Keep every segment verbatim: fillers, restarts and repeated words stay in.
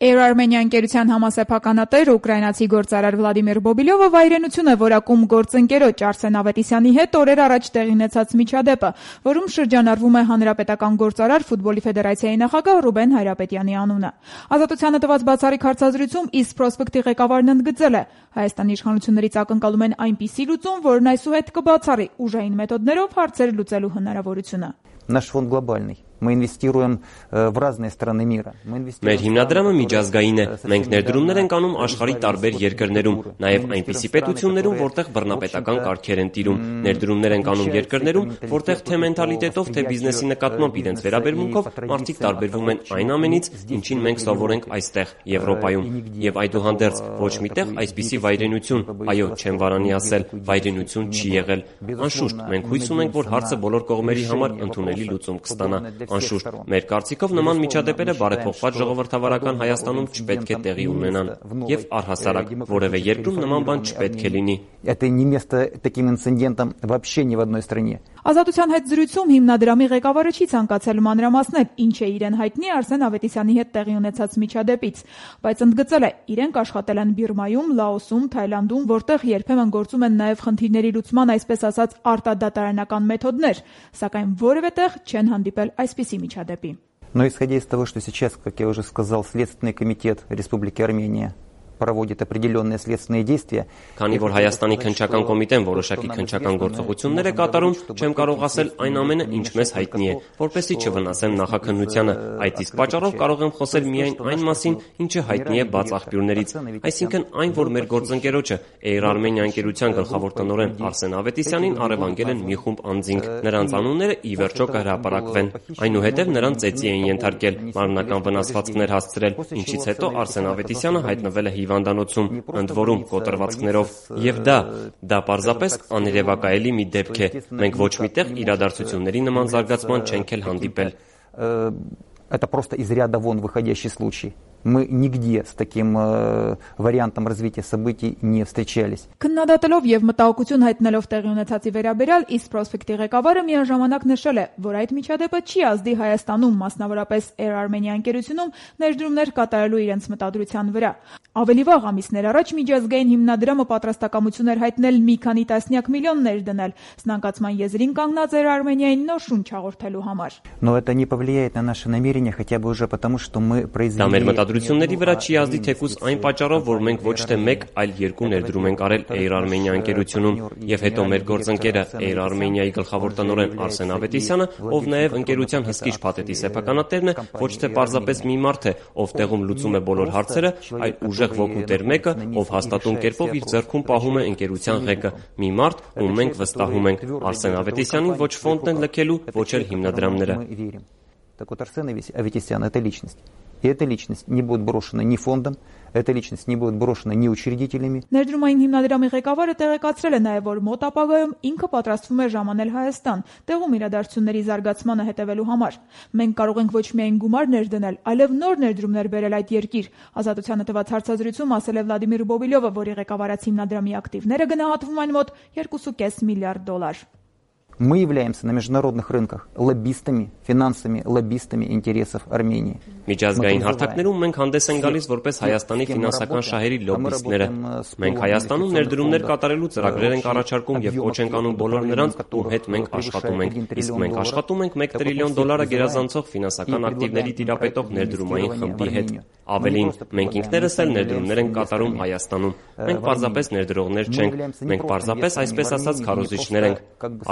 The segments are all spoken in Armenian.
Air Armenia ընկերության համասեփականատեր ուկրաինացի գործարար Վլադիմիր Բոբիլյովը վայրենություն է որակում գործընկերոջ Արսեն Ավետիսյանի հետ օրեր առաջ տեղի ունեցած միջադեպը, որում շրջանառվում է հանրապետական գործարար ֆուտբոլի ֆեդերացիայի նախագահ Ռուբեն Հայրապետյանի անունը։ Ազատությանը տված բացառիկ հարցազրույցում East Prospect-ի ղեկավարն ընդգծել է. Հայաստանի իշխանություններից ակնկալում են այնպիսի լուծում, որն այսուհետ կբացառի ուժային մեթոդներով հարցեր լուծելու հնարավորությունը։ Наш фонд глобальный. Мы инвестируем в разные страны мира. Մեր հիմնադրամը միջազգային է։ Մենք ներդրումներ ենք անում աշխարհի տարբեր երկրներում, նաև այնպիսի պետություններում, որտեղ բռնապետական կարգեր են տիրում։ Ներդրումներ ենք անում երկրներում, որտեղ թե մենթալիտետով, թե բիզնեսի նկատմամբ իրենց վերաբերմունքով մարդիկ տարբերվում են այն ամենից, ինչին մենք սովոր ենք այստեղ, Եվրոպայում։ Եվ այդուհանդերձ ոչ միտեղ այսպիսի վայրենություն, այո, չեմ վարանի ասել, վայրենություն չի եղել։ Անշուշտ, մենք հույս ունենք, որ հարցը բոլոր կողմերի համար ընդունելի լուծում կստանա։ Անշուշտ, մեր կարծիքով նման միջադեպերը բարեփոխված ժողովրդավարական Հայաստանում չպետք է տեղի ունենան եւ առհասարակ որևէ երկրում նման բան չպետք է լինի։ Это не место таким инцидентам вообще ни в одной стране. Ազատության հետ զրույցում հիմնադրամի ղեկավարը չի ցանկացել մանրամասնել, ինչ է իրեն հայտնի Արսեն Ավետիսյանի հետ տեղի ունեցած միջադեպից, բայց ընդգծել է, իրենք աշխատել են Բիրմայում, Լաոսում, Թայլանդում, որտեղ երբեմն գործում են նաև խնդիրների լուծման այսպես ասած արտադատարանական մեթոդներ, սակայն որևէ տեղ չեն հանդիպել այսպիսի միջադեպի։ Но исходя из того, что сейчас, как я уже сказал, Следственный комитет Республики Армения проводит определенные следственные действия. Քանի որ Հայաստանի քննչական կոմիտեն որոշակի քննչական գործողություններ է կատարում, չեմ կարող ասել այն ամենը, ինչ մեզ հայտնի է, որպեսզի չվնասեմ նախաքննությանը։ Այդ իսկ պատճառով կարող եմ խոսել միայն այն մասին, ինչը հայտնի է բաց աղբյուրներից, այսինքն այն, որ մեր գործընկերոջը Air Armenia ընկերության գլխավոր տնօրեն Արսեն Ավետիսյանին առևանգել են մի խումբ անձինք, նրանց անունները ի վերջո կհրապարակվեն։ Այնուհետև նրան ծեծի են ենթարկել, մարմնական վնասվածքներ հասցրել, ինչից հետո Արսեն Ավետիսյանը հայտնվել է հիվանդանոցում, ընդ որում կոտրվածքներով, եւ դա, դա պարզապես աներևակայելի մի դեպք է։ Մենք ոչ միտեղ իրադարձությունների նման զարգացման չենք էլ հանդիպել։ Это просто из ряда вон выходящий случай. Мы нигде с таким э, вариантом развития событий не встречались. Քննադատելով եւ մտահոգություն հայտնելով տեղի ունեցածի վերաբերյալ East Prospect-ի ղեկավարը միաժամանակ նշել է, որ այդ միջադեպը չի ազդի Հայաստանում, մասնավորապես Air Armenia ընկերությունում ներդրումներ կատարելու իրենց մտադրության վրա։ Ավելի վաղ ամիսներ առաջ միջազգային հիմնադրամը պատրաստակամություն էր հայտնել մի քանի տասնյակ միլիոններ դնել սնանկացման եզրին կանգնած Air Armenia-ին նոր շունչ հաղորդելու համար։ Но это не повлияет на наши намерения, хотя бы уже потому, что мы произвели Դրությունների վրա չի ազդի թեկուզ այն պատճառով, որ մենք ոչ թե մեկ, այլ երկու ներդրում ենք արել Air Armenia ընկերությունում, եւ հետո մեր գործընկերը Air Armenia-ի գլխավոր տնօրեն Արսեն Ավետիսյանը, ով նաեւ ընկերության հսկիչ փաթեթի սեփականատերն է, ոչ թե պարզապես մի մարդ է, ով տեղում լուծում է բոլոր հարցերը, այլ ուժեղ ոգու տեր մեկը, ով հաստատուն կերպով իր ձեռքում пահում է ընկերության ղեկը, մի մարդ, ում մենք վստահում ենք։ Արսեն Ավետիսյանին ոչ ֆոնդն են լքելու, ոչ էլ հիմնադրամները։ Так вот, Арсен Авետисян – это личность. И эта личность не будет брошена ни фондом, эта личность не будет брошена ни учредителями. Ներդրումային հիմնադրամի ղեկավարը տեղեկացրել է նաև, որ մոտ ապագայում ինքը պատրաստվում է ժամանել Հայաստան, տեղում իրադարձությունների զարգացմանը հետևելու համար։ Մենք կարող ենք ոչ միայն գումարներ դնել, այլև նոր ներդրումներ բերել այդ երկիր։ Ազատությանը տված հարցազրույցում ասել է Վլադիմիր Բոբիլյովը, որի ղեկավարած հիմնադրամի ակտիվները գնահատվում են մոտ երկու կόμμα պենս միլիարդ դոլար։ Мы являемся на международных рынках лоббистами, финансовыми лоббистами интересов Армении. Միջազգային հարթակներում մենք հանդես ենք գալիս որպես Հայաստանի ֆինանսական շահերի լոբբիստները։ Մենք Հայաստանում ներդրումներ կատարելու ծրագրեր ենք առաջարկում եւ կոչ ենք անում բոլոր նրանց, ում հետ մենք աշխատում ենք։ Իսկ մենք աշխատում ենք մեկ տրիլիոն դոլարը գերազանցող ֆինանսական ակտիվների տիրապետող ներդրումային խմբի հետ։ Ավելին, մենք ինքներս էլ ներդրումներ ենք կատարում Հայաստանում։ Մենք պարզապես ներդրողներ չենք, մենք պարզապես այսպես ասած քարոզիչներ ենք։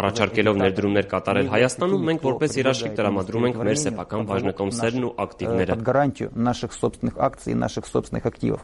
Առաջարկելով ներդրումներ կատարել Հայաստանում, մենք որպես երաշխիք տրամադրում ենք մեր սեփական բաժնետոմսերն ու ակտիվները։ Под гарантию наших собственных акций и наших собственных активов.